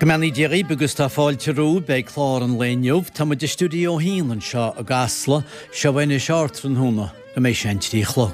Go mbeannaí Dia dhaoibh agus tá fáilte romhaibh beidh clár an lae inniu. Tá muid i Stiúideo 1 anseo i gCasla. Seo anois Ardtráthnóna go mbeidh sé an 3 a chlog.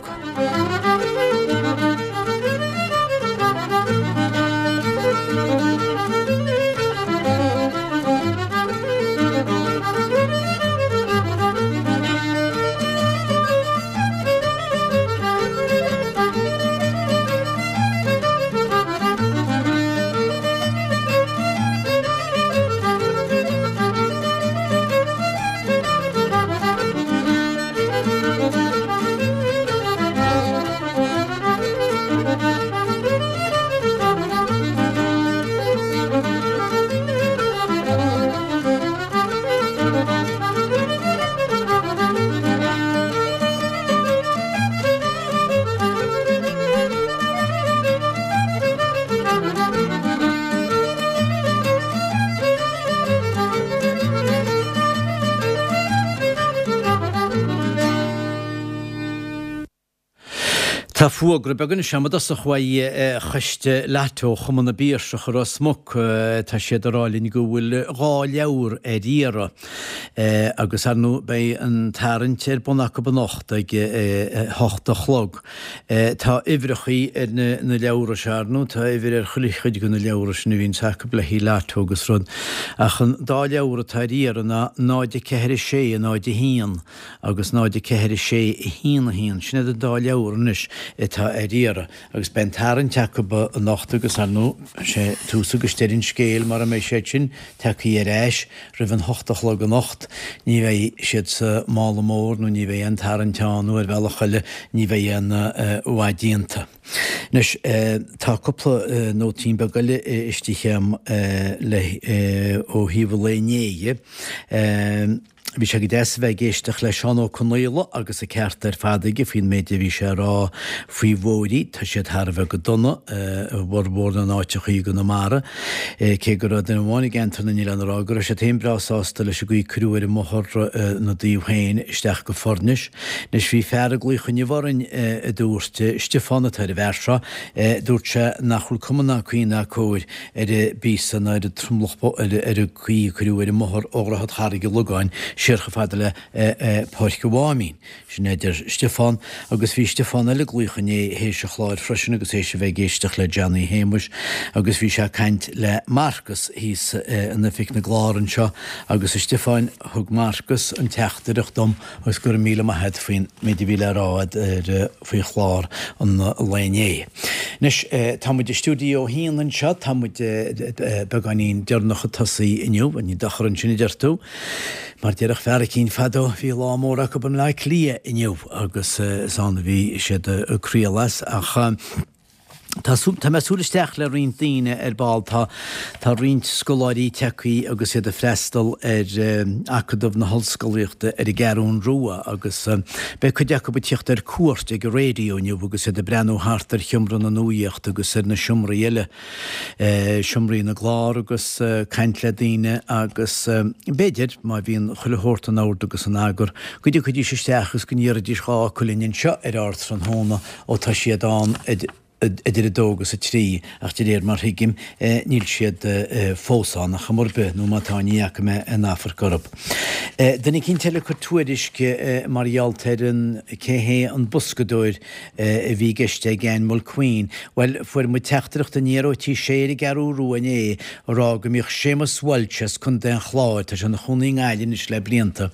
Tá fógra beag anois agam i dtosach uaidh Choiste Lotto Chumann na bPiarsach i Ros Muc. Tá siad ag rá linn go bhfuil 2 leabhar ar iarraidh. Agus ar ndóigh beidh an tarraingt ar bun acu anocht ag a hocht a chlog. Tá uimhreachaí ar na leabhra seo, ar ndóigh, tá uimhir ar chuile chuid de na leabhra sin a bhíonns acu le haghaidh Lotto agus rud. Ach an dá leabhar atá ar iarraidh ná 0, 4, 6, 0, 1 agus 0, 4, 6, 1, 1. Sin iad an dá leabhar anois atá ar iarraidh. Agus beidh an tarraingt acu anocht agus, ar ndóigh, sé tús agus deireadh an scéil mura mbeidh siad sin tagthaí ar ais roimh an hocht a chlog anocht, ní bheidh siad sa mála mór nó ní bheidh aon tarraingt ann nó ar bhealach eile ní bheidh aon mhaith déanta. Anois, tá cúpla nóitín beag eile istigh agam le ó thaobh an lae inné dhe. Bhí sé go deas a bheith ag éisteacht le Seán Ó Conaola agus an ceart ar fad aige faoin méid a bhí sé a rá faoi bhóithrí. Tá siad thar a bheith go dona i bhformhór na n-áiteachaí i gConamara. Cé go raibh duine amháin i gceantar na nOileán a rá go raibh siad féin breá sásta leis an gcaoi a cuireadh ar an mbóthar ina dtaobh féin isteach go Foirnis. Anois bhí fear ag glaoch inniu orainn a dúirt, Stiofán atá ar an bhfear seo, dúirt sé nach bhfuil cuma ná caoi ná cóir ar an bpíosa ná ar an tromlach ar an gcaoi a cuireadh ar an mbóthar ó Dhroichead Charraig an Logáin siar chomh fada le Páirc an Mháimín. Sin é a deir Stiofán. Agus bhí Stiofán eile ag glaoch inné théis an chláir freisin agus théis a bheith ag éisteacht le Johnny Shéamuis agus bhí sé ag caint le Marcus thíos in oifig na gclár anseo agus a Stiofáin thug Marcus an teachtaireacht dom Agus go raibh míle maith a't faoin méid a bhí le rá a'd ar faoi chlár an lae inné. Anois, tá muid i stiúideo a haon anseo, tá muid beagáinín deireanach ag tosaí inniu, ní dochar ansin a deir tú. Mar déarfadh fear eicínt fadó, bhí lá mór acu i mBleá Cliath inniu agus is ann a bhí siad ag craoladh as ach, Tá tá mé ag súil isteach le roinnt daoine ar ball. Tá tá roinnt scoláirí tagthaí agus iad ag freastal ar Acadamh na hOllscolaíochta ar an gCeathrún Rua agus beidh cuid acu ag tíocht ar cuairt ag an raidió inniu agus iad ag breathnú thart ar sheomra na nuaíochta agus ar na seomraí eile, seomraí na gclár agus caint le daoine agus b'fhéidir, má bhíonn chuile shórt in ord agus in eagar, go dtiocfaidís isteach agus go ndéarfaidís dhá fhocal linn anseo ar Ardtráthnóna. Ó tá siad ann idir a dó agus a trí, ach de réir mar thuigim, níl siad fós ann ar chuma ar bith, nó má tá, ní fhaca mé aon amharc orthu. Duine eicínt eile ag cur tuairisc mar gheall ar an cé hé an boscadóir a bhí i gceist ag Ann Mulqueen. Bhuel, fuair muid teachtaireacht aniar ó Tí Sé ar an gCeathrú Rua inné ag rá go mbíodh Séamus Walsh as Contae an Chláir, tá sé ina chónaí i nGaillimh anois le blianta,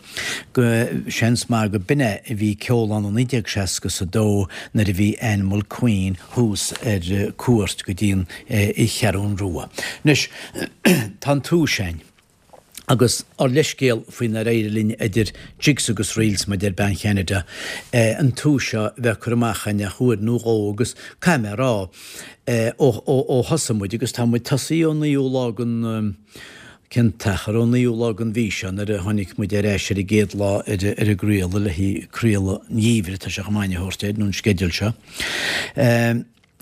go seans maith go b'in é a bhí ag ceol ann i 1962 nuair a bhí Ann Mulqueen thuas ar cuairt go dtí an Cheathrún Rua. Anois, tá an tomhas againn, agus ár leithscéal faoi nár éirigh linn idir jigs agus reels, mar a deir bean Cheanada, an tomhas seo a bheith curtha amach againn ach uair nó dhó agus caithfidh mé a rá, ó thosaigh muid, agus tá muid tosaithe ón naoú lá den, Cén t-achar ón naoú lá den mhí seo nuair a tháinig muid ar ais ar an gcéad lá ar an gcraoladh le haghaidh craoladh an gheimhridh, tá sé chomh maith a thabhairt air, nó an sceideal seo.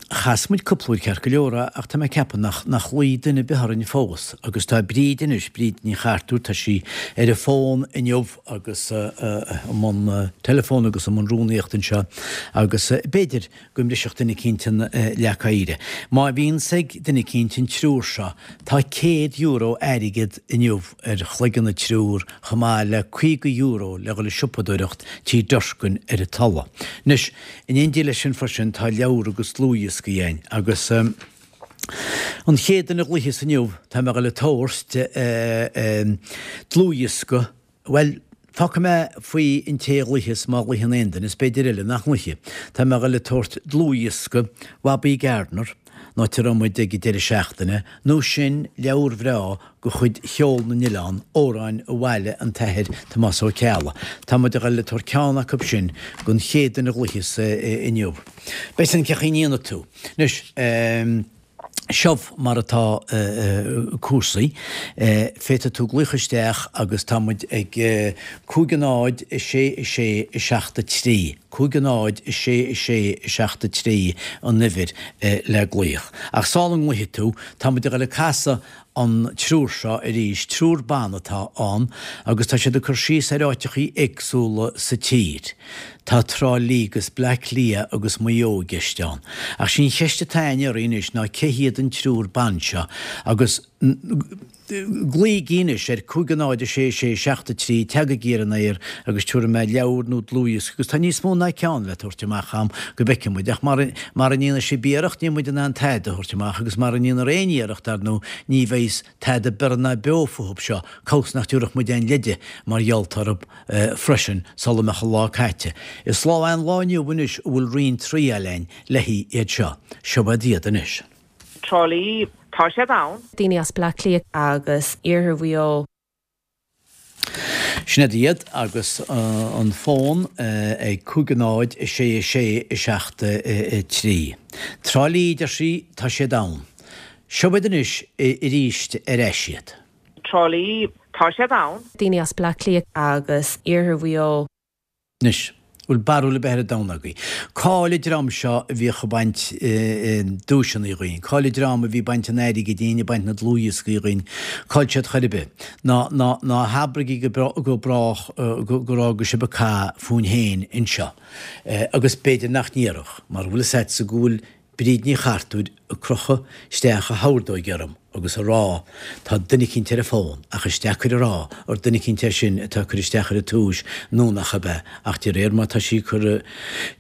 Chas muid cúpla uair ceart go leor ach tá mé ag ceapadh nach nach ghlaoigh duine ar bith orainn fós agus tá Bríd anois, Bríd Ní Chartúir, tá sí ar an bhfón inniu agus i mbun teileafóin agus i mbun rúnaíochta anseo agus b'fhéidir go mbrisfeadh duine eicínt an leac oighir. Má bhíonns ag duine eicínt an triúr seo, tá €100 airgead inniu ar chloigeann an triúr chomh maith le €50 le dhul ag siopadóireacht Tí Durkin ar an Tulaigh. Anois, In éindí leis sin freisin tá leabhar agus dlúthdhioscaí againn agus an chéad duine a ghlaoifeas inniu tá mé ag dul a tabhairt dlúthdhiosca, bhuel, fágfaidh mé faoi an té a ghlaoifeas má ghlaoigheann aon duine, is b'fhéidir eile nach nglaoifidh. Tá mé ag dul a tabhairt dlúthdhiosca Bhobby Gardner, an áit a raibh muid ag an deireadh seachtaine, nó sin leabhar bhreá de chuid Cheol na nOileán, amhráin a bhailigh an tAthair Tomás Ó Ceallaigh. Tá muid a ghoil le tabhairt ceann acu sin don chéad duine a ghlaoifeas inniu. Beidh san cén chaoi a ndéanfaidh tú. Anois, seo mar atá cúrsaí. Féadfaidh tú glaoch isteach agus tá muid ag 5 0 6 6 7 3, 5 0 6 6 7 3 an uimhir le glaoch. Ach sula nglaofaidh tú, tá muid a ghoil ag casadh an triúr seo arís, triúr ban atá ann agus tá siad ag cur síos ar áiteachaí éagsúla sa tír. Tá Trá Lí agus Bleá Cliath agus Maigh Eo i gceist ann. Ach sí an cheist atá againn oraibh anois ná cé hiad an triúr ban seo agus glaoigí anois ar 5 0 6 6 7 3, teagaigí ar an aer agus tabharfaidh mé leabhar nó dlúthdhiosca agus tá níos mó ná ceann le tabhairt amach a'm go bhfeicfidh muid ach mara mara ndéanfaidh sibh iarracht níl muid in ann tada a thabhairt amach agus mara ndéanar aon iarracht ar ndóigh ní bheidh tada biorra ná beo fúthub seo cabhas nach dtabharfadh muid aon leide mar gheall orthub freisin sula mbeadh an lá caite. Is lá é an lá inniu anois a bhfuil roinnt triail a'inn le haghaidh iad seo. Seo iad iad anois. Trá Lí, tá siad ann. Daoine as Bleá Cliath. Agus iarthar Mhaigh Eo. Sin iad iad agus an fón ag 5 0 6 6 7 3. Trá Lí, deir sí, tá siad ann. Seo iad anois arís ar ais iad. Trá Lí, tá siad ann. Daoine as Bleá Cliath. Agus iarthar Mhaigh Eo. Anois, bhfuil barúil ar bith ar an domhan agaibh? Cá'il an dream seo a bhíodh ag baint duaiseanna dhúinn? Cá'il an dream a bhí ag baint an airgid dhínn, ag baint na dlúthdhioscaí dhúinn? Cá'il siad chor ar bith? Ná, ná, ná habraigí go, go brách gur fhága sibh an cath fúinn féin anseo. Agus b'fhéidir nach ndéarfadh, mar bhfuil fhios a'dsa go bhfuil Bríd Ní Chartúir ag crochadh isteach a hordóig orm agus a rá tá duine eicínt ar an bhfón ach is deacair a rá ar duine eicínt é sin atá ag cur isteach ar an túis nó nach ab ea ach de réir mar tá sí ag cur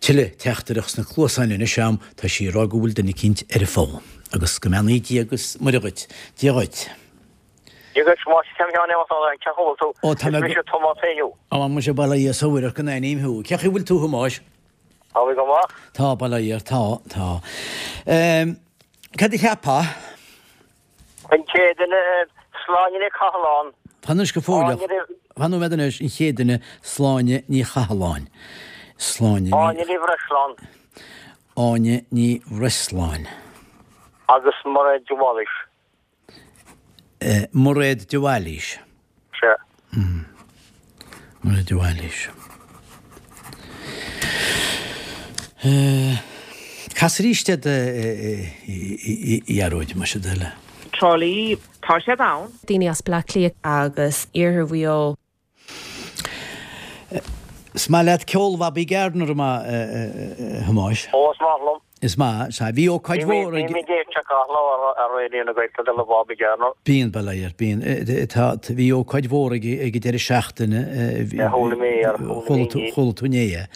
tuilleadh teachtaireacht sna cluasáin anois a'm tá sí ag rá go bhfuil duine eicínt ar an bhfón. Agus go mbeannaí Dia agus Muire dhuit. Dia dhuit. Dia dhuit, Tomás, cén chaoi a bhfuil tú? Ó tá mé Is mise Tomás Éinniú. Ó muise bail ó Dhia is ó Mhuire ort go n-aithním thú. Cén chaoi a bhfuil tú a Thomáis? Tá mé go maith. Tá, bail ó Dhia ort, tá, tá. Cad a cheapfá? An chéad duine, Sláine Ní Chathalláin. Fan anois go fóilleach. Fan nóiméad anois, an chéad duine, Sláine Ní Chathalláin. Sláine Ní. Áine Ní Bhreisleáin. Áine Ní Bhreisleáin. Agus Mairéad de Bhailís. Mairéad de Bhailís. Sea. Mairéad de Bhailís. Cas arís iad a Ghearóid, más é do thoil é. Trá Lí, tá siad ann. Daoine as Bleá Cliath. Agus iarthar Mhaigh Eo. Is maith leat ceol Bhobby Gardner, an maith, a Thomáis? Ó, is maith liom. Is maith, sea. Bhí ócáid mhór ag. Bím ag éisteacht gach lá ar Raidió na Gaeltachta le Bobby Gardner. Bíonn, bail ó Dhia ort, bíonn. Tá, bhí ócáid mhór ag ag an deireadh seachtaine. Chuala mé é, chuala mé inné. Chuala tú inné é.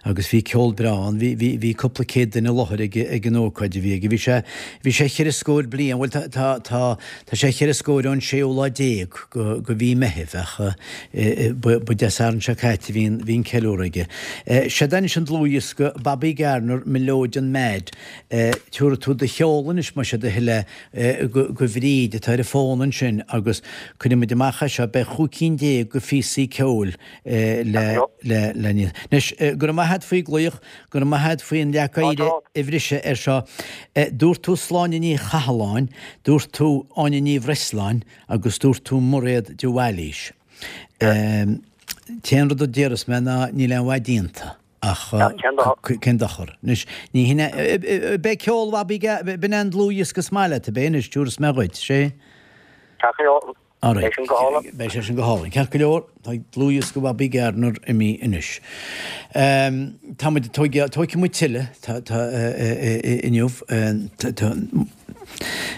Agus bhí ceol breá ann. Bhí, bhí, bhí cúpla céad duine i láthair ag, ag an ócáid a bhí aige. Bhí sé, bhí sé cheithre scór bliain, bhuel tá, tá, tá, Tá sé cheithre scór ón séú lá déag go mhí Meithimh ach ba Dé Sathairn seo caite a bhí an ceiliúradh aige. Seod é anois an dlúthdhiosca Bobby Garner Melodeon Mad. Tabharfaidh tú do sheoladh anois más é do thoil é go Bhríd atá ar an bhfón ansin agus cuirfidh muid amach é seo. Beidh chúig cinn déag go phíosaí ceoil le le Anois go raibh maith a't faoi glaoch. Go raibh maith a't faoi an leac oighir a bhriseadh air seo. Dúirt tú Sláine Ní Chathalláin, dúirt tú Áine Ní Bhreisleáin agus dúirt tú Mairéad de Bhailís. T-aon rud a déarfas mé ná níl aon mhaith déanta. Ach cén dochar? Anois, ní hin é, beidh ceol Bhabaí, b'in é an dlúthdhiosca is maith leat, ab é anois, tabharfaidh mé dhuit, sé? Ceart go leor. Beidh sin go hálainn. Beidh sé sin go hálainn. Ceart go leor, tá dlúthdhiosca Bhabaí Gardner imithe anois. Tá muid, tógfaidh muid tuilleadh, tá, tá, inniu, tá,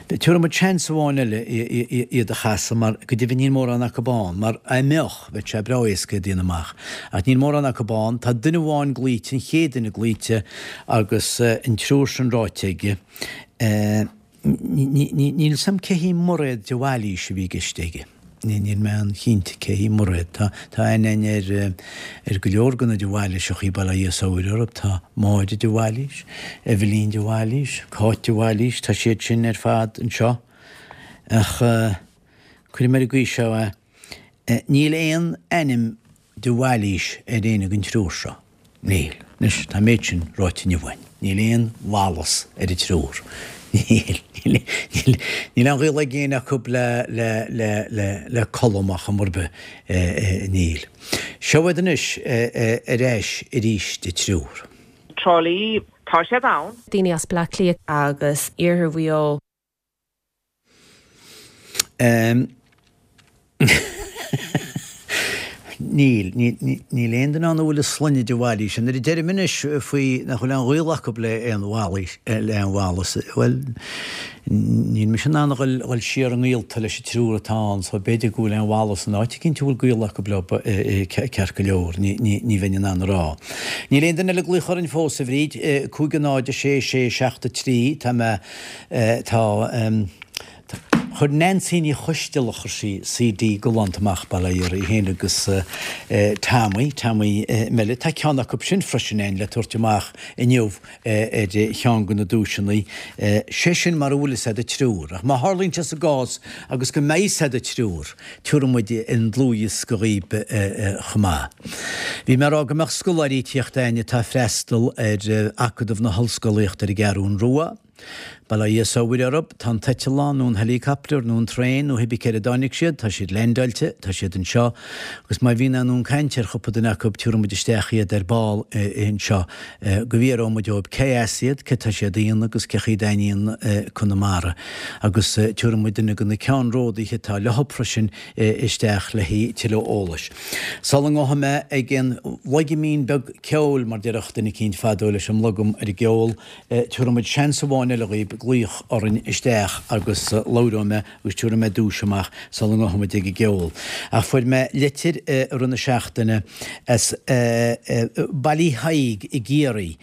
Tabharfaidh muid seans amháin eile iad a chasadh mar go deimhin níl mórán acu ann, mar dá mbeadh, bheadh sé breá éasca iad a dhéanamh amach. Ach níl mórán acu ann. Tá duine amháin glaoite, an chéad duine glaoite agus an triúr sin ráite aige. Níl 'fhios a'm cé hí Mairéad de Bhailís a bhí i gceist aige. Níl mé an-chinnte cé hí Mairéad. Tá tá aithne againn ar ar go leor de na de Bhailíseachaí, bail ó Dhia 's ó Mhuire orthu. Tá Máire de Bhailís, Eibhlín de Bhailís, Cáit de Bhailís, tá siad sin ar fad anseo. Ach cuirfidh mé ar an gcaoi seo é, níl aon ainm de Bhailís ar éinne den triúr seo. Níl. Anois, tá an méid sin ráite inniu againn. Níl aon Wallace ar an triúr. Níl. Níl, níl, níl aon ghaol ag éinne acu le, le, le, le, le Colm ar chuma ar bith. Níl. Seo iad anois ar ais arís an triúr. Trá Lí, tá siad ann. Daoine as Bleá Cliath. Agus Iarthar Mhaigh Eo. Níl. Níl aon duine ann a bhfuil a sloinne de Bhailís. Nuair a deirim anois faoi nach bhfuil aon ghaol acu le aon Bhailís, le aon Wallace, bhuel, níl mise in ann a dhul siar i ngaolta leis an triúr atá ann, so b'fhéidir go bhfuil aon Wallace in áit eicínt a bhfuil gaol acu leo ceart go leor, ní bheinn in ann a rá. Níl aon duine eile ag glaoch orainn fós, a Bhríd. 5 0 6 6 7 3, tá mé Tá, chuir Neansaí Ní Choisteala, chuir sí CD galánta amach, bail ó Dhia uirthi féin agus Tommy, Tommy Mellett, tá ceann acu sin freisin againn le tabhairt amach inniu ar cheann de na duaiseanna, sé sin mara bhfuil fhios a'd an triúr. Ach má tharlaíonn sé sa gcás agus go mbeidh fhios a'd an triúr, tabharfaidh muid an dlúthdhiosca dhaoib chomh maith. Bhí mé ag rá go mbeadh scoláirí ag tíocht a'inn atá ag freastal ar Acadamh na hOllscolaíochta ar an gCeathrún Rua. Bail ó Dhia 's ó Mhuire orthub, tá an t-eitleán nó an helicopter nó an traein nó cibé céard a dtáinig siad, tá siad leaindeáilte, tá siad anseo agus má bhíonn aon fhonn cainte ar chúpla duine acu tiúrfaidh muid isteach iad ar ball anseo go bhfiafróidh muid dhóibh cé as iad, céard tá siad a dhéanamh agus cé chaoi a dtaitníonn Conamara agus tiúrfaidh muid duine de na ceannródaithe atá leothub freisin isteach le haghaidh tuilleadh eolais. Sula ngabhfaidh mé ag an bhloigimín beag ceoil mar déarfadh duine eicínt fadó leis an mblogam ar an gceol, Tabharfaidh muid seans amháin eile dhaoib glaoch orainn isteach agus labhróidh mé agus tabharfaidh mé duais amach sula ngabhfaidh muid ag an gceol. Ach fuair mé litir i rith na seachtaine as Baile Thaidhg i gCiarraí.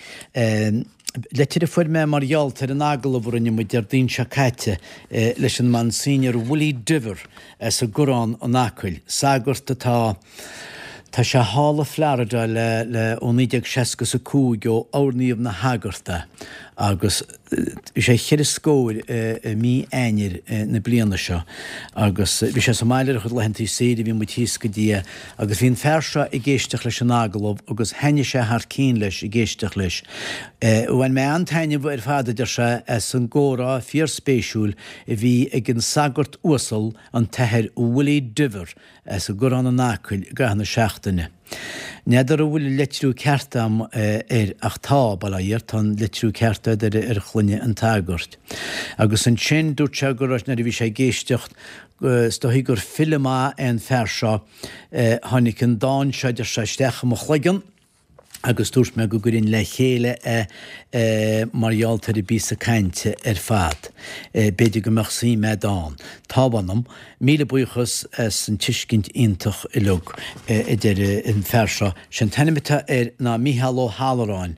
Litir a fuair mé mar gheall ar an agallamh a rinne muid Déardaoin seo caite leis an Monsignor Willie Diver as an gCoireán in Acaill, sagart atá Tá sé thall i Florida le, le, ó 1965 ó oirníodh 'na shagart é agus bhí sé cheithre scór i mí Eanáir na bliana seo agus bhí sé sa mbaile ar a chuid laethantaí saoire, bhí muid thíos go dtí é agus bhí an fear seo ag éisteacht leis an agallamh agus thaitnigh sé thar cinn leis ag éisteacht leis. Bhain mé an-taitneamh ar fad, a deir sé, as an gcomhrá fíorspéisiúil a bhí ag an sagart uasal, an tAthair Willie Diver, as an gCoireán in Acaill i gcaitheamh na seachtaine. N'fheadar an bhfuil an litriú ceart a'm air ach tá, bail ó Dhia air, tá an litriú ceart a'd ar ar shloinne an tsagairt. Agus ansin dúirt sé go raibh, nuair a bhí sé ag éisteacht, is dóichí gur file maith é an fear seo, tháinig an dán seo, a deir sé, isteach i mo chloigeann, agus dúirt mé go gcuirfinn le chéile é mar gheall ar an bpíosa cainte ar fad. B'fhéidir go mbeadh suim a'd ann. Tá, mh'anam. Míle buíochas as an tuiscint iontach uilig, a deir an fear seo. Sé an t-ainm atá air ná Mícheál Ó hAlluráin,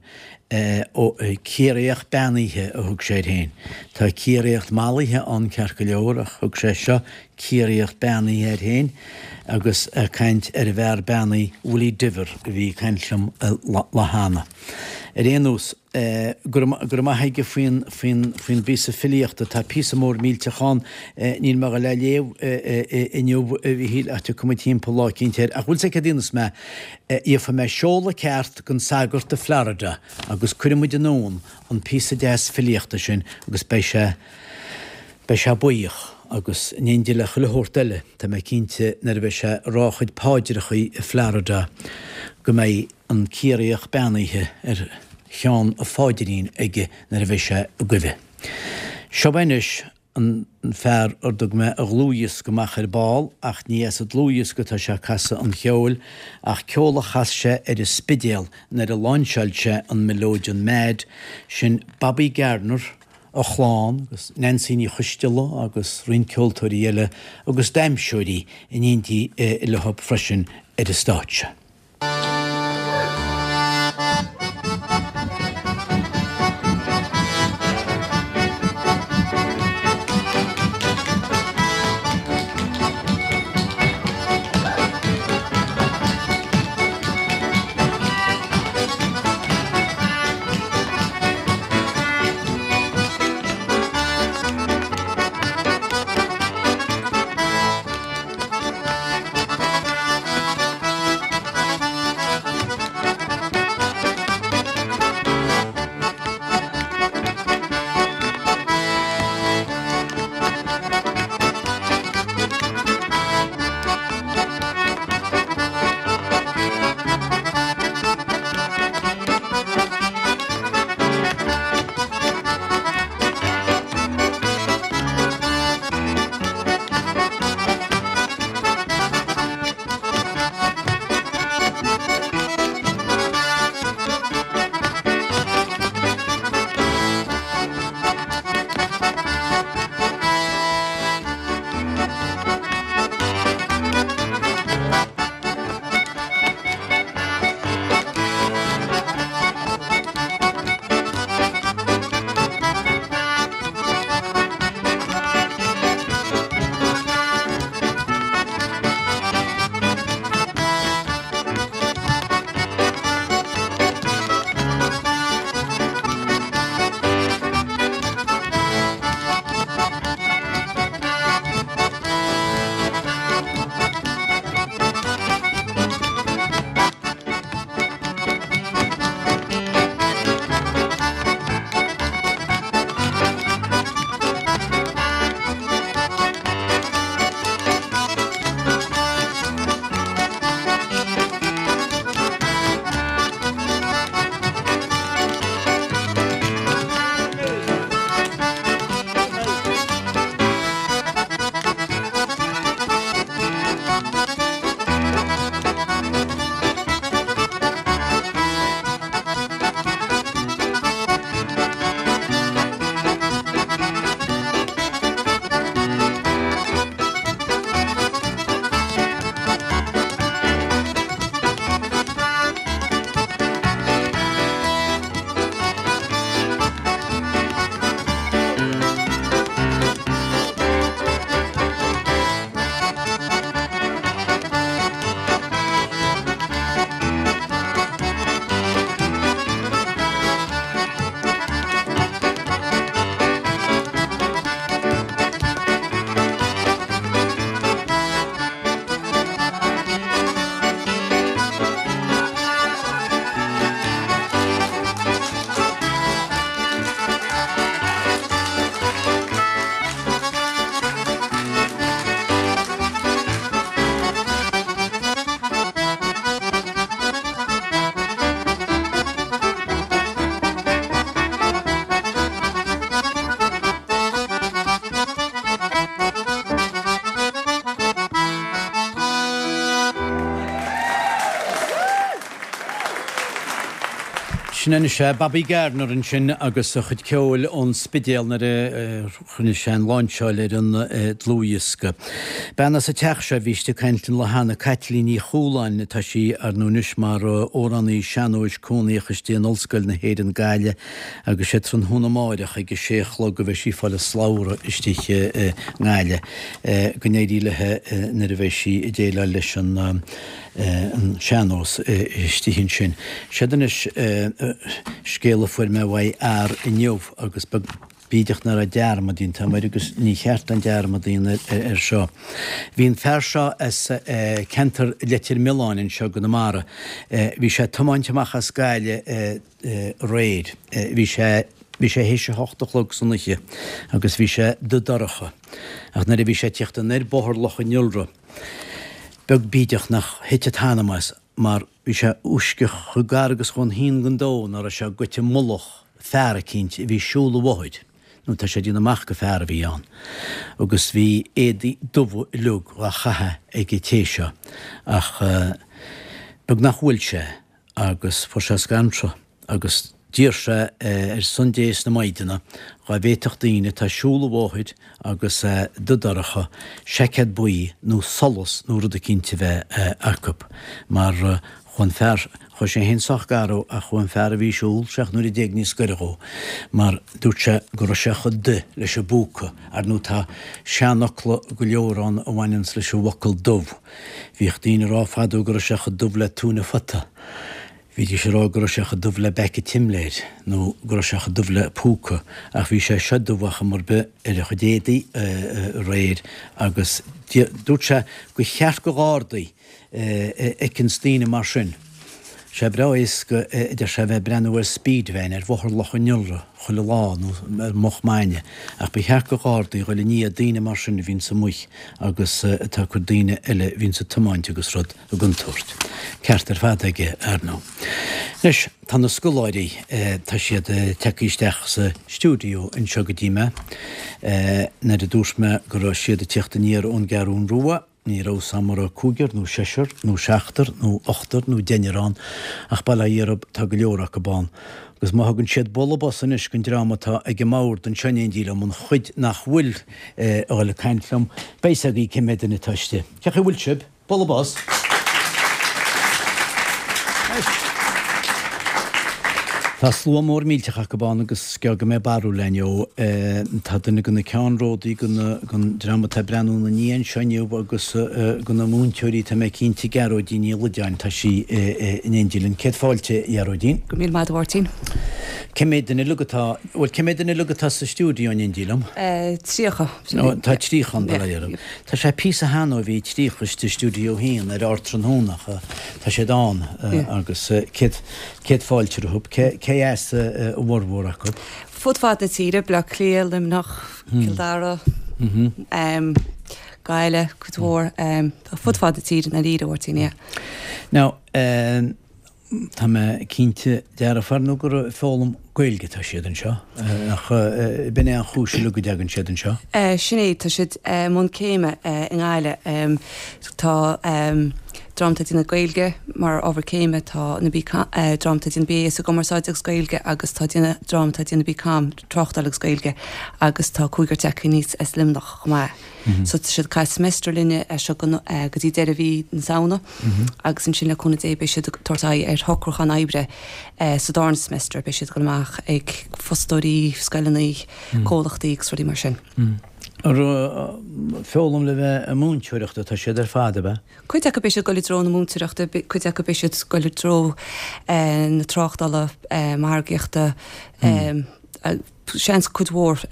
ó Ciarraíoch Beannaithe a thug sé air féin. Tá Ciarraíoch Mallaithe ann ceart go leor ach thug sé seo Ciarraíoch beannaithe air féin agus ag caint ar an bhfear beannaithe Willie Diver a bhí ag caint liom lá cheana. Ar aon nós, go raibh maith aige faoin, faoin, faoin bpíosa filíochta. Tá píosa mór millteach ann, níl mé a dhul é a léamh inniu, a Mhíchíl, ach tiocfaidh muid timpeall lá eicínt air. Ach bhfuil 's agat céard a dhéanfas mé? Gheobhaidh mé seoladh ceart don sagart i Florida agus cuirfidh muid anonn an píosa deas filíochta sin agus beidh sé, beidh sé buíoch. agus in éindí le chuile shórt eile, tá mé cinnte nuair a bheidh sé ag rá a chuid paidreachaí i Florida go mbeidh an Ciarraíoch Beannaithe ar cheann a pháidrín aige nuair a bheidh sé i gcuimhe. Seo é anois an fear ar dtug mé a dhlúthdhiosca amach ar ball ach ní as an dlúthdhiosca atá sé ag casadh an cheoil ach ceol a chas sé ar an Spidéal nuair a láinseáil sé an Mileodeon Mad, sin Bobby Gardiner, a chlann agus Neansaí Ní Choisteala agus roinnt ceoltóirí eile agus damhsóirí in éindí leo freisin ar an stáitse. Sin anois é Bobby Gardiner ansin agus a chuid ceoil ón Spidéal nuair a rinne sé an láinseáil ar an dlúthdhiosca. Bean as an teach seo a bhí istigh ag caint an lá cheana, Caitlín Ní Chualáin, tá sí ar ndóigh anois mar amhránaí sean-nóis cónaíoch istigh in Ollscoil na hÉireann Gaillimh agus sé tráthnóna amáireach ag a sé a chlog a bheidh sí ag fáil a slabhra istigh i nGaillimh. Go n-éirí léi nuair a bheidh sí ag déileáil leis an sean-nós istigh ansin. Séard anois scéal a fuair mé uaidh fhear inniu agus beag bídeach nach raibh dearmad déanta agam air agus ní cheart an dearmad a dhéanamh air seo. Bhí an fear seo as ceantar Leitir Mealláin anseo i gConamara. Bhí sé ag tiomáint amach as Gaillimh aréir. Bhí sé. Bhí sé théis a hocht a chlog san oíche agus bhí sé dubh dorcha, ach nuair a bhí sé ag tíocht anoir Bóthar Loch an Iolra, beag bídeach nach thit a t-anam as mar bhí sé uisceach chomh gar agus chomh haon den domhan ná raibh sé goite i mullach fear eicínt a bhí ag siúl an bhóthair, nó tá sé ag déanamh amach gur fear a bhí ann, agus bhí éadaí dubha uilig dhá chaitheamh ag an té seo, ach beag nach bhuail sé agus fuair sé scanradh agus d'iarr sé ar son Dé is na Maighdine dhá bhféadfadh daoine atá ag siúl an bhóthair agus é dubh dorcha seaicéad buí nó solas nó rud eicínt a bheith acu mar chuaigh an fear, chuaigh sé féin sách gar dhó ach chuaigh an fear a bhí ag siúl seacht n-uaire déag níos gaire dhó mar dúirt sé go raibh sé chomh dubh leis an bpúca. Ar ndóigh tá seanfhocla go leor ann a bhaineanns leis an bhfocal dubh. Bhíodh daoine ag rá fadó go raibh sé chomh dubh le túine phota. Bhídís ag rá go raibh sé chomh dubh le beaic an tsimléir, nó go raibh sé chomh dubh le púca, ach bhí sé seo dubh ar chuma ar bith ar a chuid éadaí aréir agus dúirt sé gur cheart go Ghardaí a fheiceanns daoine mar sin. Sé breá éasca a deir sé a bheith ag breathnú ar speed van ar Bhóthar Loch an Iolra chuile lá nó ar moch maidne ach ba cheart go Ghardaí dhul i ndiaidh daoine mar sin a bhíonns amuigh agus atá ag cur daoine eile a bhíonns ag tiomáint agus rud i gcontúirt. Ceart ar fad aige, ar ndóigh. Anois, tá na scoláirí, tá siad tagtha isteach sa stiúideo anseo go dtí mé. Nuair a dúirt mé go raibh siad ag tíocht aniar ón gCeathrún Rua, ní raibh 's a'm an raibh cúigear nó seisear nó seachtar nó ochtar nó deichniúr ann, ach bail ó Dhia orthu, tá go leor acu ann. Agus má thugann siad bualadh bos anois don dream atá ag an mbord anseo in éindí liom, an chuid nach bhfuil a dhul ag caint liom, beidh 's agaibh cé mhéad duine atá istigh. Cén chaoi a bhfuil sibh? Bualadh bos. Tá slua mór millteach acu ann agus is gearr go mbeidh barúil againn ó. Tá duine de na ceannródaí den dream atá ag breathnú ina ndiaidh anseo inniu agus de na múinteoirí, tá mé cinnte, Gearóidín Ní Loideáin, tá sí in éindí linn. Céad fáilte, a Ghearóidín. Go raibh míle maith agat, a Mháirtín. Cé mhéad duine uilig atá, bhuel, cé mhéad duine uilig atá sa stiúideo in éindí liom? 30. Tá 30 ann, bail ó Dhia orthu. Tá sé píosa cheana ó bhí 30 istigh i Stiúideo 1 ar Ardtráthnóna ach tá siad ann agus céad, céad fáilte rompu. Cé as a bhformhór acu? Fud fad na tíre, Baile Átha Cliath, Luimneach, Cill Dara, Gaillimh, cuid mhór, fud fad na tíre, i ndáiríre, a Mháirtín, yeah. Now, Tá mé cinnte dearfa ar ndóigh gur ag foghlaim Gaeilge atá siad anseo, ach b'in é an chúis uilig go dtagann siad anseo? Sin é, tá siad i mbun céime i nGaillimh. Tá dream atá ag déanamh Gaeilge mar ábhar céime, tá na dream atá ag déanamh BA sa gCumarsáid agus Gaeilge agus tá dream atá ag déanamh BCom, Tráchtáil agus Gaeilge, agus tá cúigear tagtha aníos as Luimneach chomh maith. So tá siad ag caitheamh semester linne as seo go dtí deireadh mhí na Samhna agus ansin le cúnamh Dé beidh siad ag tabhairt aghaidh ar shocrúchán oibre sa darna semester, beidh siad ag dul amach ag fostóirí, scoileanna, comhlachtaí agus rudaí mar sin. Ag foghlaim le bheith ag múinteoireacht atá siad ar fad, ab ea? Cuid acu beidh siad ag dul i dtreo na múinteoireachta, cuid acu beidh siad ag dul i dtreo na tráchtála, margaíochta, seans cuid mhór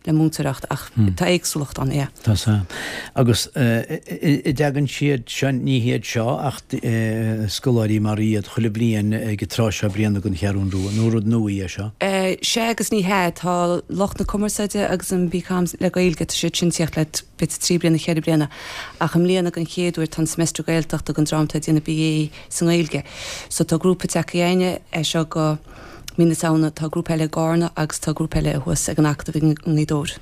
le múinteoireacht ach tá éagsúlacht ann, yeah. Tá sea. Agus an dtagann siad seo, ní hiad seo ach scoláirí mar iad chuile bhliain ag an tráth seo bliana don Cheathrún Rua, nó rud nua é seo? Sea agus ní hea. Tá lucht na cumarsáide agus an BCom le Gaeilge, tá siad sin ag tíocht le b'fhéidir 3 bliana, 4 bliana ach i mbliana den chéad uair tá an semester Gaeltachta don dream atá ag déanamh BA sa nGaeilge. So tá grúpa tagtha againne as seo go. Mí na Samhna, tá grúpa eile i gCarna agus tá grúpa eile thuas ag an Acadamh i nGaoth Dobhair.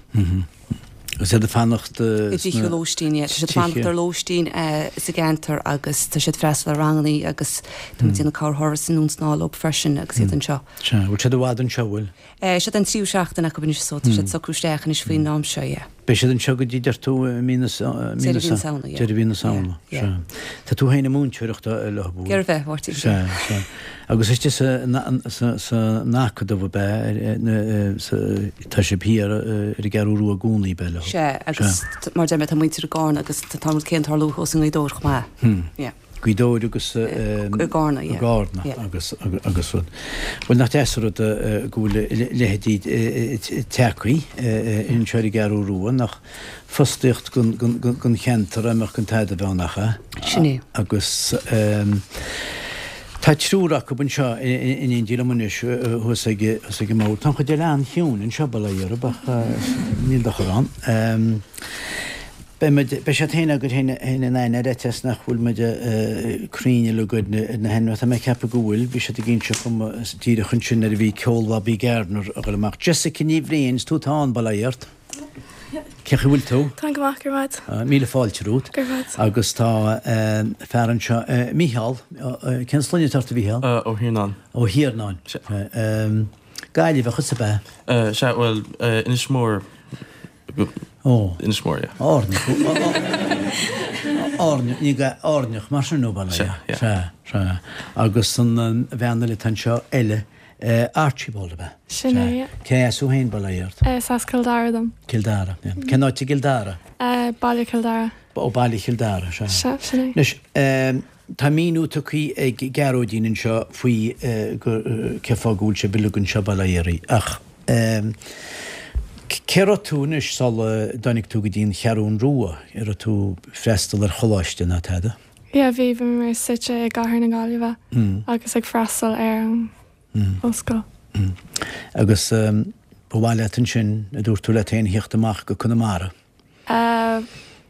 Agus iad ag fanacht I dtithe lóistín, yeah. Tá siad ag fanacht ar lóistín sa gceantar agus tá siad ag freastal ar rangannaí agus tá muid ag déanamh corrthuras anonn is anall leo freisin agus iad anseo. Sea. Bhfuil siad i bhfad anseo, bhfuil? Siod an tríú seachtain acu anois so tá siad ag socrú isteach anois faoin am seo, yeah. Beidh siad anseo go dtí, deir tú, mí na Deireadh mhí na Samhna, yeah. Deireadh mhí na Samhna, Yeah, yeah. sea. Tá tú féin ag múinteoireacht leo, bhfuil? Ghearr bheith, Mháirtín. Sea, sea. Agus istigh sa, san Acadamh ab ea, tá sibh thiar ar an gCeathrú Rua i gcónaí, ab ea, leo? Sea, agus mar a deir mé, tá muintir i gCarna agus tá an rud céanna ag tarlú thuas i nGaoth Dobhair chomh maith. Yeah. Gaoth Dobhair agus i gCarna, yeah. I gCarna agus agus rud. Bhuel nach deas an rud go bhfuil a leithéidí tagtha anseo ar an gCeathrú Rua, nach fostaíocht don cheantar a mbeadh gan tada a bheith ann ach é. Sin é. Agus. Tá triúr acu anseo in éindí liom anois thuas ag an mbord. Tá an chuid eile an-chiúin anseo, bail ó Dhia orthu, ach níl dochar ann. Beidh muid, beidh siad féin agaibh féin in aithne ar fhaitíos nach bhfuil muid cruinn uilig ar na hainmneacha. Tá mé ag ceapadh go bhfuil. Bhí siad ag inse dhom díreach ansin nuair a bhí ceol Bhobby Gardner ag dul amach. Jessica Ní Bhriain, is tú atá ann, bail ó Dhia ort. Cén chaoi a bhfuil tú? Táim go maith, go raibh maith agat. Míle fáilte romhat. Go raibh maith agat. Agus tá fear anseo, Mícheál, cén sloinne atá ort a Mhícheál? Ó hIarnáin. Ó hIarnáin. Sea. Gaillimheach thusa ab ea? Sea, bhuel, Inis Mór. Ó. Inis Mór, yeah. Áirneach. Áirneach, ní Áirneach mar sin nó bail ó Dhia. Sea, yeah. Sea, sea. Agus an bhean eile atá anseo eile, Archibald ab ea? Sin é, yeah. Cé as thú féin, bail ó Dhia ort? Is as Cill Dara dom. Cill Dara, yeah. Cén áit i gCill Dara? Baile Chill Dara. Ó, Baile Chill Dara, sea. Sea, sin é. Anois, tá míniú tugtha ag Gearóidín anseo faoi cé fáth go bhfuil sibh uilig anseo, bail ó Dhia oraibh, ach cé raibh tú anois sula dtáinig tú go dtí an Cheathrún Rua? An raibh tú ag freastal ar choláiste ná tada? Yeah, bhí, bhí mé suite i gCathair na Gaillimhe agus ag freastal ar an ollscoil. Agus ba mhaith leat ansin, a dúirt tú leat féin, theacht amach go Conamara?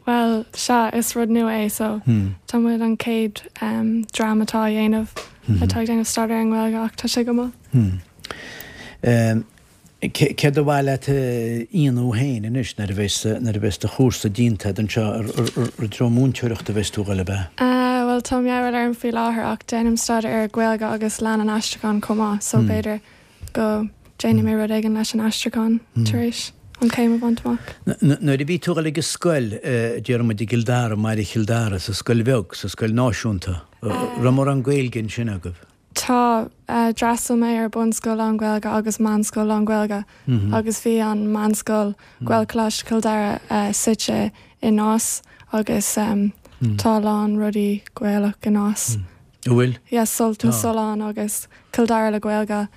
Bhuel, sea, is rud nua é so tá muid an chéad dream atá á dhéanamh, atá ag déanamh staidéar ar an nGaeilge ach tá sé go maith. Céard ba mhaith leat a dhéanamh féin anois nuair a bheas, nuair a bheas do chúrsa déanta agat anseo, i dtreo múinteoireachta a bheas tú a dhul, ab ea? Bhuel, tá meabhail orm faoi láthair ach déanaim staidéar ar Ghaeilge agus Léann an Aistriúcháin chomh maith so b'fhéidir go déanfaidh mé rud éigin leis an aistriúchán tar éis an chéim a bhaint amach. Nuair a bhí tú a dhul ag an scoil, déarfaidh muid i gCill Dara, i mbaile Chill Dara, sa scoil bheag, sa scoil náisiúnta, raibh mórán Gaeilge ansin agaibh? Tá. D'fhreastail mé ar bunscoil lán-Ghaeilge agus meánscoil lán-Ghaeilge agus bhí an meánscoil, Gaelcholáiste Chill Dara, suite i Nás agus tá a lán rudaí Gaelach i Nás. An bhfuil? Yeah, Sult na Sollán agus Cill Dara le Gaeilge.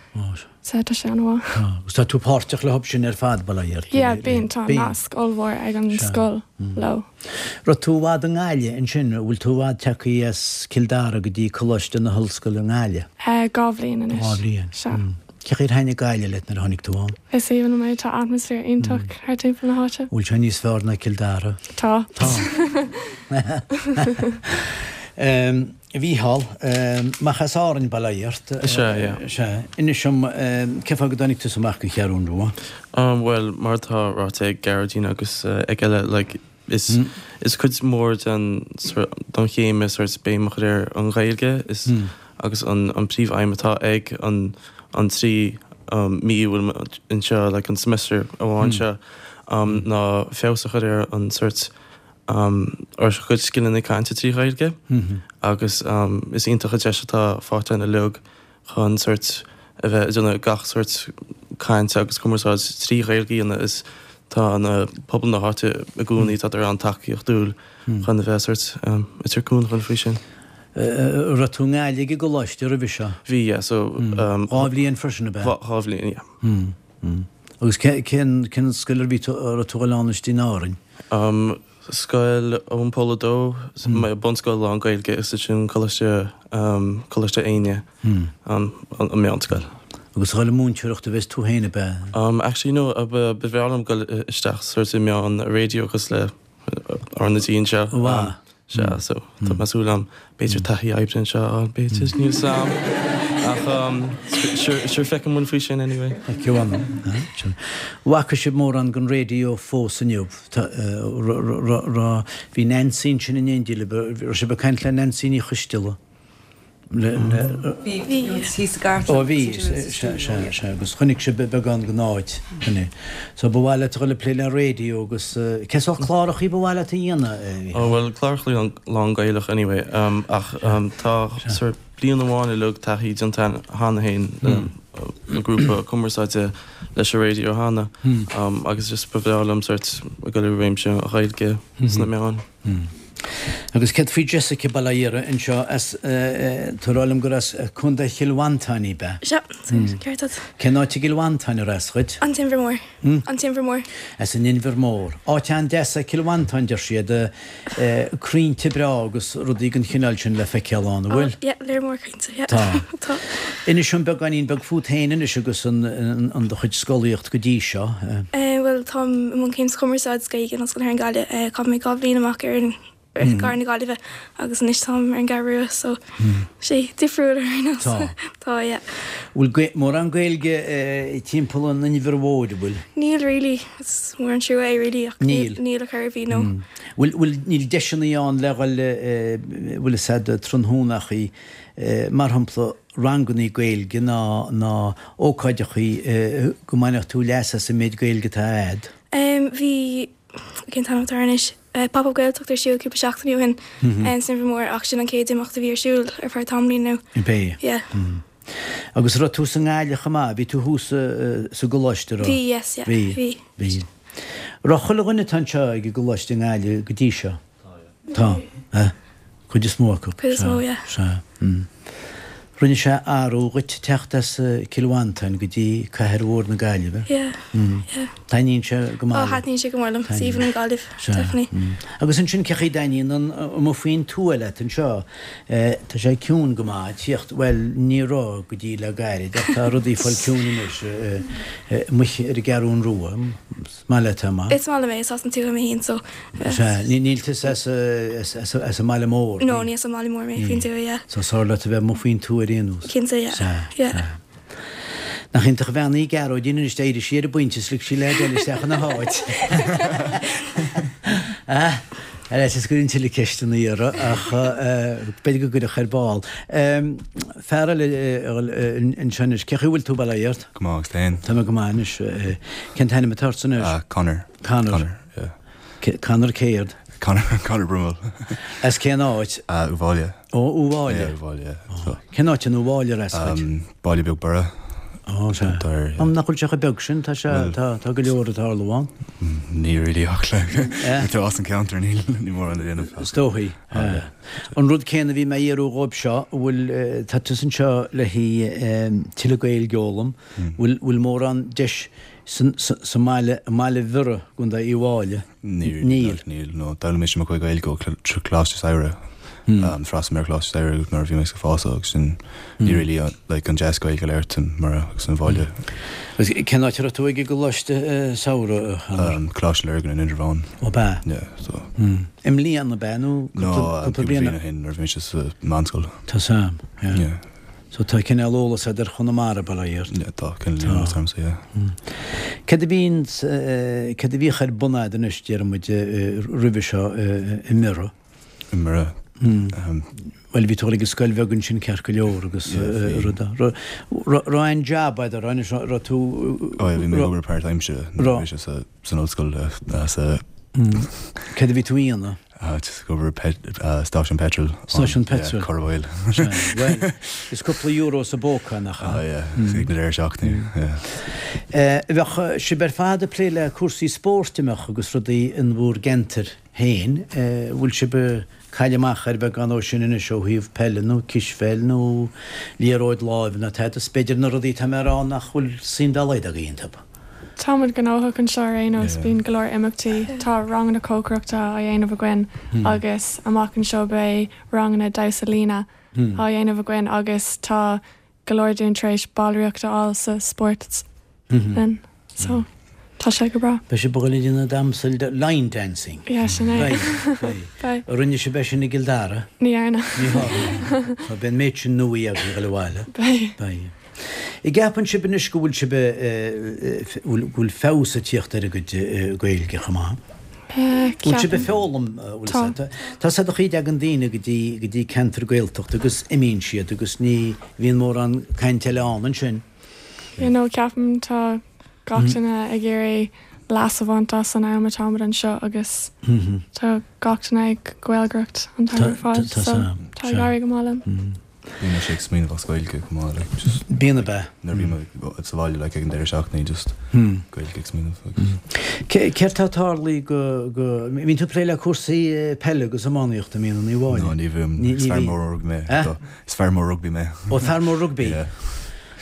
So tá sé an-mhaith. Tá. Agus tá tú páirteach leo sin ar fad, bail ó Dhia ort. Yeah, bíonn. Tá nasc ollmhór ag an scoil leo. Raibh tú i bhfad i nGaillimh ansin? An bhfuil tú i bhfad tagtha as Cill Dara go dtí Coláiste na hOllscoile i nGaillimh? 2 bhliain anois. 2 bhliain. Sea. Cé chaoi ar thaitnigh Gaillimh leat nuair a tháinig tú ann? Is aoibhinn liom é, tá atmaisféar iontach thart timpeall na háite. Bhfuil sé níos fearr ná Cill Dara? Tá. Tá. A Mhícheál, amach as Árainn, bail ó Dhia ort. Sea, yeah. Sea. Inis dom, cé fáth go dtáinig tusa amach go Cheathrún Rua? Bhuel, mar atá ráite ag Gearóidín agus ag eile, like, is, is cuid mhór den, den chéim é sort béim a chur ar an Ghaeilge is, agus an, an príomh-aidhm atá ag an, an 3 mí a bhfuil anseo, like an semester amháin seo, ná feabhas a chur ar an sort, ár gcuid scileanna cainte trí Ghaeilge agus is iontach an deis atá faighte againn uilig chun sort a bheith ag déanamh gach sort cainte agus cumarsáid trí Ghaeilge a dhéanamh is tá na pobal na háite i gcónaí tá siad an-tacaíochtúil chun a bheith sort ag tabhairt cúnamh dhúinn faoi sin. Raibh tú i nGaillimh ag an gcoláiste roimhe seo? Bhí, yeah, so. 2 bhliain freisin, ab ea? 2 bhliain, yeah. Agus cén cén scoil a bhí tú a raibh tú a dhul ann istigh in Árainn? Scoil Eoin Pól a Dó, bunscoil lán Gaeilge is ansin Coláiste Coláiste Éinne, an meánscoil. Agus a dhul ag múinteoireacht a bheas tú féin ab ea? Actually no, ba bhreá liom dul isteach sort i meán raidió cosúil le RnaG anseo. Mhaith. Sea, so tá mé ag súil liom b'fhéidir taithí oibre anseo a fháil, b'fhéidir, níl 's a'm. Ach sure, sure feicfidh muid faoi sin anyway. Feicfidh muid. Bhfaca sibh mórán den raidió fós inniu? Bhí Nancy ansin in éindí libh, raibh sibh ag caint le Nancy Ní Choisteala? Bhí, bhí thíos sa gcartlann. Ó bhí, sea, sea, sea, agus chonaic sibh beagán den áit, sin é. So ba mhaith leat a dhul ag plé le raidió agus cé sórt clárachaí ba mhaith leat a dhéanamh? Ó bhuel, clárachaí lán-Ghaelach anyway, ach tá sort bliain amháin uilig taithí déanta cheana féin le grúpa cumarsáide leis an raidió cheana agus just ba bhreá liom sort a dhul i réimse an Ghaeilge sna meáin. Agus céard faoi Jessica bail ó Dhia uirthi anseo as, tá a rá liom gur as Contae Chill Mhantáin í, b'ea? Sea, ceart agat. Cén áit i gCill Mhantáin ar as dhuit? An tInbhear Mór. An tInbhear Mór. As an Inbhear Mór. Áit an-deas é Cill Mhantáin, deir siad. Crainnte breá agus rudaí den chineál sin le feiceáil ann, an bhfuil? Oh, yeah, léar mór crainnte, yeah. Tá. Tá. Inis dom beagáinín beag fút féin anois agus an do chuid scolaíocht go dtí seo. Bhuel, táim i mbun céim sa Chumarsáid is Gaeilge in Ollscoil na hÉireann Gaillimh. Chaith mé 2 bhliain amach ar an i gcathair na Gaillimhe agus anois táim ar an gCeathrú Rua so sé difriúil ar aon nós. Tá. Tá, yeah. Bhfuil mórán Gaeilge timpeall an Inbhir Mhóir, an bhfuil? Níl really, is mór an trua é really ach Níl. níl ar chor ar bith, no. Bhfuil, bhfuil, níl deiseanna ann le dhul, bhfuil fhios a'd, tráthnónachaí, mar shampla rangannaí Gaeilge ná, ná ócáideachaí go mbainfeadh tú leas as an méid Gaeilge atá a'd? Bhí, cén t-ainm atá air anois? Pop Up Gaeltacht ar siúl cúpla seachtain ó shin san Inbhear Mór ach sin an chéad imeacht a bhí ar siúl ar feadh tamaillín nó. Ab é? Yeah. Agus raibh tú sa nGaillimh chomh maith? Bhí tú thuas sa gcoláiste, raibh? Bhí, yes, yeah. Bhí. Bhí. Bhí. Raibh chuile dhuine atá anseo ag an gcoláiste i nGaillimh go dtí seo? Tá, eh? Cuid is mó acu. Cuid is mó, yeah. Sea. Rinne sé athrú dhuit teacht as Cill Mhantáin go dtí cathair mhór na Gaillimhe? Yeah, yeah. Taitníonn sé go maith leat? Oh, thaitníonn sé go mór liom. Is aoibhinn liom Gaillimh, definitely. Agus ansin cé chaoi a dtaitníonn an amuigh faoin tuath leat anseo? Tá sé ciúin go maith, tíocht, bhuel, ní raibh go dtí le gairid ach tá rudaí ag fáil ciúin anois amuigh ar an gCeathrún Rua. Is maith leat é, maith. Is maith liom é, is as an tuath mé féin so. Sea, níl tusa as as an mbaile mór? No, ní as an mbaile mór mé, faoin tuath, yeah. So is fearr leat a bheith amuigh faoin tuath ar aon nós? Cinnte, yeah. Sea, yeah. Sea. Nach iontach an bhean í Gearóidín anois, d'éirigh sí ar an bpointe is lig sí leaid eile isteach ina háit. Ah, ar fhaitíos go gcuirfinn tuilleadh ceisteanna uirthi ach b'fhéidir go gcuirfeadh ar ball. Fear eile anseo anois, cé chaoi a bhfuil tú, bail ó Dhia ort? Go maith, agus féin? Tá mé go maith anois. Cén t-ainm atá ortsa anois? Conor. Conor. Conor, yeah. Conor céard? Conor, Conor Brummel. As cén áit? Uíbh Fhailí. Ó, Uíbh Fhailí. Yeah, Uíbh Fhailí, yeah. So. Cén áit in Uíbh Fhailí ar as dhuit? Baile beag Biorra. Ó, sea. Tá, yeah. Nach bhfuil sé chomh beag sin, tá sé, tá, tá go leor ag tarlú ann. Ní really ach like, tá as an ceantar, níl, ní mórán le déanamh. Is dóichí. An rud céanna a bhí mé a iarraidh dhóibh seo, an bhfuil, tá tusa anseo le haghaidh tuilleadh Gaeilge a fhoghlaim, bhfuil, bhfuil mórán deis san, sa mbaile, i mbaile Bhiorra, i gContae Uíbh Fhailí? Níl. Níl. Níl, no. D'fhoghlaim mise mo chuid Gaeilge ó Choláiste Samhraidh. D'fhreastail mé ar Choláiste Samhraidh nuair a bhí mé ag fás agus sin ní really like an deis Gaeilge a labhairt mar agus an bhaile. Agus cén áit a raibh tú ag an gColáiste Samhraidh, a Chonor? Coláiste Lurgan in Indreabhán. Ó b'ea? Yeah, so. I mbliana ab ea nó cúpla bliain ó shin nuair a bhí mise sa mheánscoil. Tá Sam, yeah. Yeah. So tá cineál eolas agat ar Chonamara, bail ó Dhia ort. Yeah, tá cineál eolas agamsa, yeah. Céard a bhíonn, céard a bhíodh ar bun a'd anois, déarfaidh muid, roimhe seo i mBiorra? I mBiorra? Bhuel, bhí tú ag dul ag an scoil bheag ansin ceart go leor agus rud, raibh aon jab a'd, raibh anois, raibh tú. Oh yeah, bhí mé ag obair páirtaimseartha nuair a bhí mise sa san ollscoil sa. Céard a bhí tú a dhéanamh? Just ag obair stáisiún peitril. Stáisiún peitril. Cur oil. Bhuel, is cúpla euro sa bpóca, nach ea? Ah yeah, ag na deireadh seachtaine, yeah. Bheadh sibh ar fad ag plé le cúrsaí spóirt, an mbeadh, agus rudaí in bhur gceantair féin. Bhfuil sibh ag cailleadh amach ar bheagán ó sin anois ó thaobh peile nó cispheil nó liathróid láimhe nó tada? Is b'fhéidir na rudaí atá mé a rá nach bhfuil suim dá laghad agaibh iontu. Tá muid gnóthach anseo ar aon nós, bíonn go leor imeachtaí. Tá ranganna cócaireachta á dhéanamh againn agus amach anseo beidh ranganna damhsa líne á dhéanamh againn agus tá go leor dúinn tar éis ballraíocht a fháil sa spórtlann so tá sé go breá. Beidh sibh ag dul ag déanamh damhsa line dancing. Yeah, sin é. Beidh, beidh. Beidh. An rinne sibh é sin i gCill Dara? Ní dhearna. Ní dhearna. So beidh an méid sin nuaí agaibh ag dul abhaile. Beidh. Beidh. An gceapann sibh anois go bhfuil sibh, go bhfuil feabhas ag tíocht ar a gcuid Gaeilge chomh maith? Bhfuil sibh ag foghlaim, bhfuil Tá. Tá 's a'd an chaoi a dtagann daoine go dtí, go dtí ceantar Gaeltachta agus imíonn siad agus ní bhíonn mórán cainte eile ann ansin. You know, ceapaim tá gach duine ag iarraidh leas a bhaint as an am atá muid anseo agus tá gach duine ag Gaeilgeoireacht an t-am ar fad so tá ag éirí go maith linn. Bíonn mise ag smaoineamh as Gaeilge chomh maith like just. Bíonn ab ea? Nuair a bhím sa bhaile like ag an deireadh seachtaine just Gaeilge ag smaoineamh agus. Céard tá tarlaithe go go mbíonn tú ag plé le cúrsaí peile agus iománaíochta an mbíonn a Uí Mháille? No ní bhím. Is fear mór rugbaí mé. Eh? Is fear mór rugbaí mé. Ó fear mór rugbaí? Yeah.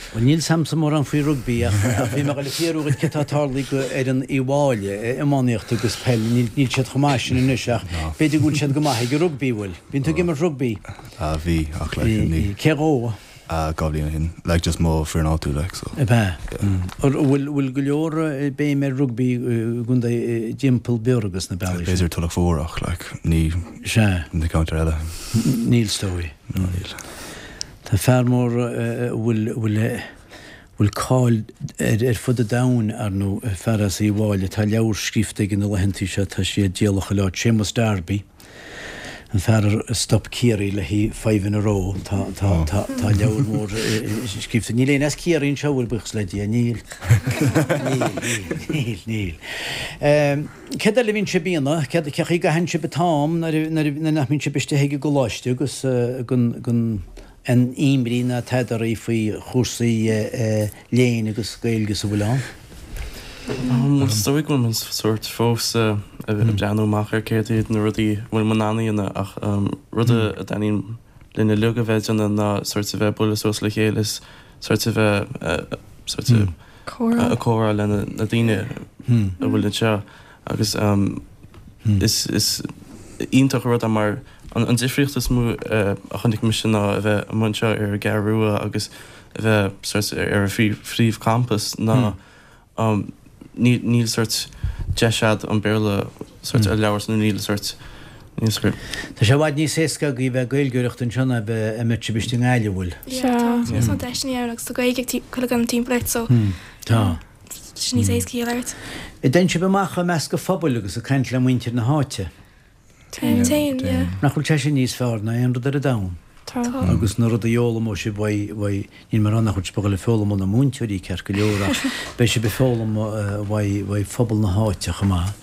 Bhuel níl 's a'msa mórán faoi rugbaí ach bhí mé ag dul a fiafraí dhuit céard tá tarlaithe go fhoireann Uí Mháille, iománaíocht agus peil, níl níl siad chomh maith sin anois ach b'fhéidir go bhfuil siad go maith ag an rugbaí, bhfuil? Bíonn tú ag imirt rugbaí? Ah bhí ach like ní. Cé dhó? Ah 2 bhliain ó shin, like just mo foireann áitiúil like so. Ab ea? An bhfuil bhfuil go leor béim ar rugbaí i gcontae dtimpeall Biorra agus na bealaí sin? B'fhéidir Tulach Mhór ach like ní Sea. na ceantair eile. Níl is dóigh. No níl. Tá fear mór a bhfuil bhfuil bhfuil cáil air ar fud an domhain, ar ndóigh, fear as Uíbh Fhailí, tá leabhar scríofa aige na laethantaí seo, tá sé á díol chuile áit, Séamus Darby, an fear a stop Ciarraí le haghaidh five in a row, tá tá tá tá leabhar mór scríofa, níl éinne as Ciarraí anseo, bhfuil, buíochas le Dia, níl, níl, níl, níl, níl. Céard eile a bhíonn sibh a dhéanamh, céard, cé chaoi a gcaitheann sibh an t-am nuair a nuair a nach mbíonn sibh istigh ag an gcoláiste agus gan gan aon imní ná tada oraibh faoi chúrsaí léinn agus Gaeilge is a bhfuil ann? Is dóigh go bhfuil muid sórt fós ag breathnú amach ar céard iad na rudaí a bhfuil muid in ann a dhéanamh ach rud a dtaitníonn linn uilig a bheith ag déanamh ná sórt a bheith ag bualadh suas le chéile is sórt a bheith sórt ag comhrá le na daoine a bhfuil anseo agus is iontach an rud é mar an difríocht is mó a chonaic mise ná a bheith amuigh anseo ar an gCeathrú Rua agus a bheith sórt ar an phríomhchampas ná níl sórt deis a'd an Béarla sórt a labhairt nó níl sórt níl sórt. Tá sé i bhfad níos éasca agaibh a bheith ag Gaeilgeoireacht anseo ná a bheith a mbeadh sibh istigh i nGaillimh, bhfuil? Sea, tá níos mó deiseanna ann agus tá Gaeilge ag chuile dhuine timpeall ort so Tá. tá sé níos éasca í a labhairt. An dtéann sibh amach i measc an phobail agus ag caint le muintir na háite? Téann, téann, yeah. Nach bhfuil sé sin níos fearr ná aon rud ar an domhan? Tá. Agus na rudaí a fhoghlaimeoidh sibh uaidh, uaidh, níl mé ag rá nach bhfuil sibh ag dul ag foghlaim ó na múinteoirí ceart go leor ach beidh sibh ag foghlaim uaidh, uaidh phobal na háite chomh maith.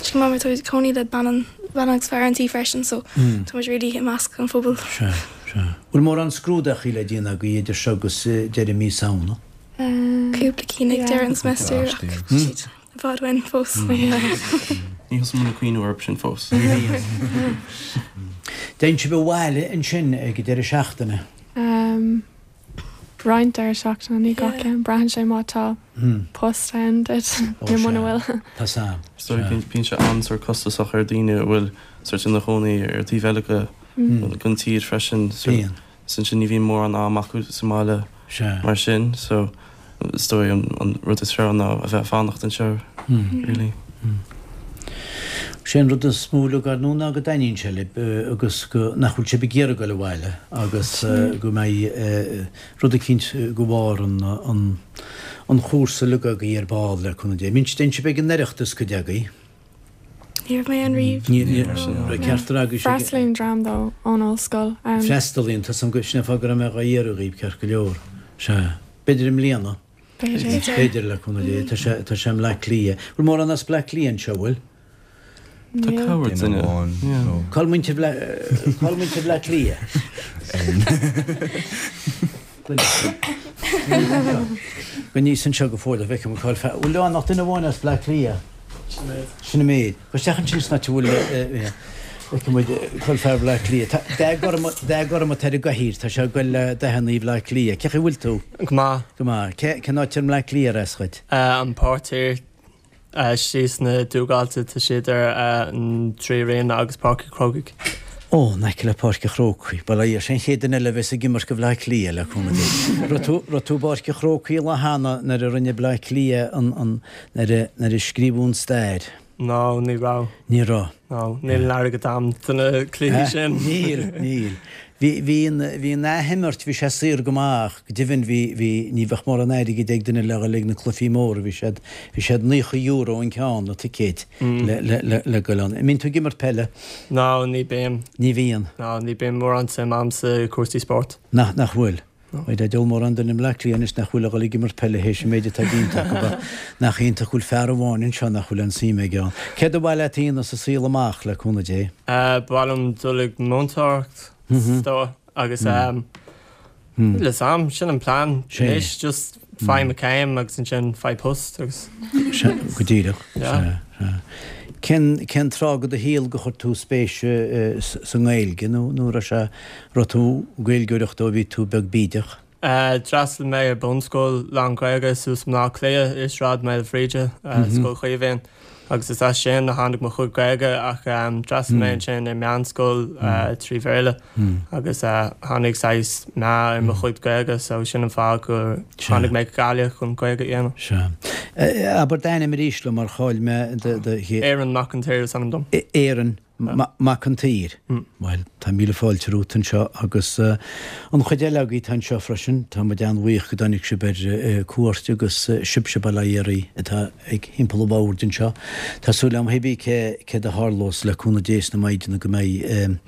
Is go maith mar tá muid ag cónaí le bean an, bean agus fear an tí freisin so tá muid really i measc an phobail. Sea, sea. Bhfuil mórán scrúdachaí le déanamh agaibh idir seo agus deireadh mí Samhna? Cúpla cinn ag deireadh an semester ach siad i bhfad uainn fós. Ní thosaigh muid ag cuimhniú orthu sin fós. Dtéann sibh abhaile ansin ag an deireadh seachtaine? Roinnt deireadh seachtaine, ní gach ceann. Braitheann sé má tá post ann duit nó muna bhfuil. Tá 's a'm. Is dóigh bíonn sé an-sórt costasach ar daoine a bhfuil sórt ina chónaí ar taobh eile den tír freisin. Bíonn. Is ansin ní bhíonn mórán am acu sa mbaile mar sin so is dóigh an rud is fearr ná a bheith ag fanacht anseo really. Sé an rud is mó uilig ar ndóigh ná go dtaitníonn sé libh agus go nach bhfuil sibh ag iarraidh dul abhaile agus go mbeidh rud eicínt go bharr an an chúrsa uilig agaibh ar ball le cúnamh Dé. Mbíonn sibh ag an Oireachtas cuid agaibh? Ní raibh mé ann riamh. Ceart agaibh. Freastalaíonn dream dó ón ollscoil ann. Freastalaíonn, tá 's a'm go, sin é fáth go raibh mé dhá iarraidh dhaoibh, ceart go leor. Sea. B'fhéidir i mbliana. B'fhéidir. B'fhéidir, le cúnamh Dé. Tá sé, tá sé i mBleá Cliath. Bhfuil mórán as Bleá Cliath anseo, bhfuil? Tá cabhair duine. Cá bhfuil muintir Bhleá, cá bhfuil muintir Bhleá Cliath? Go níos anseo go fóill a bhfeicim an cáil fear. Bhfuil ann ach duine amháin as Bleá Cliath? Sin an méid. Gabh isteach ansin san áit a bhfuil feicfidh muid cá'il fear Bhleá Cliath. Tá dath gorm dath gorm atá ar an gcathaoir, tá sé ag goil le dathannaí Bhleá Cliath. Cé chaoi bhfuil tú? Go maith. Go maith. Cé cén áit ar mBleá Cliath ar as dhuit? An Páirc Thiar. Síos na Dúghailte, tá sé idir an Trí Ríona agus Páirc an Chrócaigh. Ó, in aice le Páirc an Chrócaigh. Bhuel, é sin an chéad duine eile a bheas ag imirt do Bhleá Cliath, le cúnamh Dé. Raibh tú, raibh tú i bPáirc an Chrócaigh an lá cheana nuair a rinne Bleá Cliath an, an, nuair a, nuair a scríobhadh an stair? No, ní raibh. Ní raibh. No, níl an airgead a'm do na cluichí sin. Níl, níl. Bhí, bhí an, bhí an athimirt, bhí sé saor go maith ach go deimhin bhí, bhí, ní bheadh mórán airgid ag duine le dhul ag na cluichí móra, bhí siad, bhí siad €90 an ceann, na ticéid, le, le, le, le goil ann. An mbíonn tú ag imirt peile? No, ní bím. Ní bhíonn? No, ní bíonn mórán suim a'm sa cúrsaí spóirt. Nach, nach bhfuil? Beidh diabhal mórán duine i mBleá Cliath anois nach bhfuil ag dhul ag imirt peile théis an méid atá déanta acu ach nach iontach go bhfuil fear amháin anseo nach bhfuil aon suim aige ann. Céard ba mhaith leat a dhéanamh sa saol amach, le cúnamh Dé? Ba mhaith liom dul ag múinteoireacht, is dóigh. agus níl a fhios a'm, sin an plean anois, just faigh mo chéim agus ansin faigh post agus. Sea, go díreach. Sea, sea. Cén, cén tráth de do shaol gur chuir tú spéis sa nGaeilge nó, nó raibh sé, raibh tú Gaeilgeoireacht ó bhí tú beag bídeach? D'fhreastail mé ar bunscoil lán-Ghaeilge suas i mBleá Cliath i Sráid Maoilbhríde, Scoil Chaoimhín, agus is as sin a tháinig mo chuid Gaeilge ach d'fhreastail mé ansin ar meánscoil 3 Bhéarla agus tháinig saghas meath ar mo chuid Gaeilge so sin an fáth gur tháinig mé go Gaillimh chun Gaeilge a dhéanamh. Sea. Abair d'ainm arís liom mar chaill mé do. Aaron Mac an tSaoir is ainm dom. Aaron. Mac an tSaoir. Bhuel, tá míle fáilte romhat anseo agus an chuid eile agaibh atá anseo freisin. Tá muid an-bhuíoch go dtáinig sibh ar cuairt agus sibhse bail ó Dhia oraibh atá ag thimpeall an bhoird anseo. Tá súil agam hébí cé céard a tharlós le cúnamh Dé is na Maighdeana go mbeidh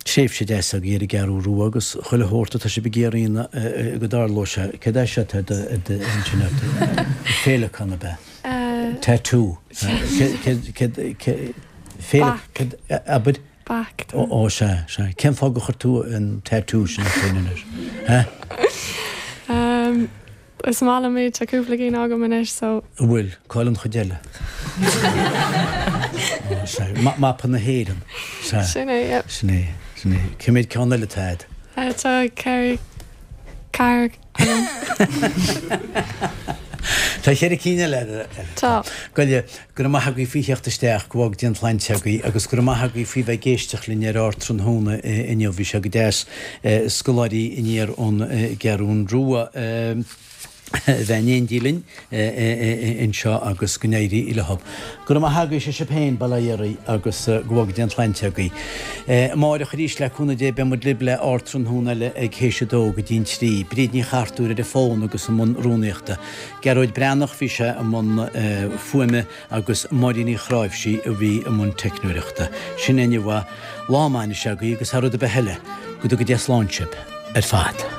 tréimhse deas agaibh ar an gCeathrú Rua agus chuile shórt atá sibh ag iarraidh go dtarlóidh sé. Céard é seo atá ar do intinn ort? Féileacán ab ea? Tattoo. Féileacán, abair? Bac. Ó sea, sea. Cén fáth gur chuir tú an tattoo sin ort féin anois? Is maith liom iad, tá cúpla cinn agam anois so. An bhfuil? Cá'il an chuid eile? Ó, sea. Mapa na hÉireann. Sea. Sin é, yep. Sin é, sin é. Cé mhéad ceann eile atá agat? Tá ceithre, ceathair agam. Tá cheithre cinn eile agat. Tá. Gabh i leith, go raibh maith agaibh faoi theacht isteach, go bhfága Dia an tsláinte agaibh agus go raibh maith agaibh faoi bheith ag éisteacht linn ar Ardtráthnóna inniu. Bhí sé go deas scoláirí aniar ón gCeathrún Rua a bheith in éindí linn anseo agus go n-éirí leo. Go raibh maith agaibh, sé sibh féin, bail ó Dhia oraibh agus go bhfága Dia an tsláinte agaibh. Amáireach arís le cúnamh Dé beidh muid libh le Ardtráthnóna eile ag théis a dó go dtí'n trí. Bríd Ní Chartúir ar an bhfón agus i mbun rúnaíochta. Gearóid Breathnach, bhí sé i mbun fuaime agus Máirín Uí Chráimhsí a bhí i mbun teicneoireachta. Sin é inniu. Lá maith anois agaibh agus thar rud ar bith eile, go dtuga Dia slán sibh ar fad.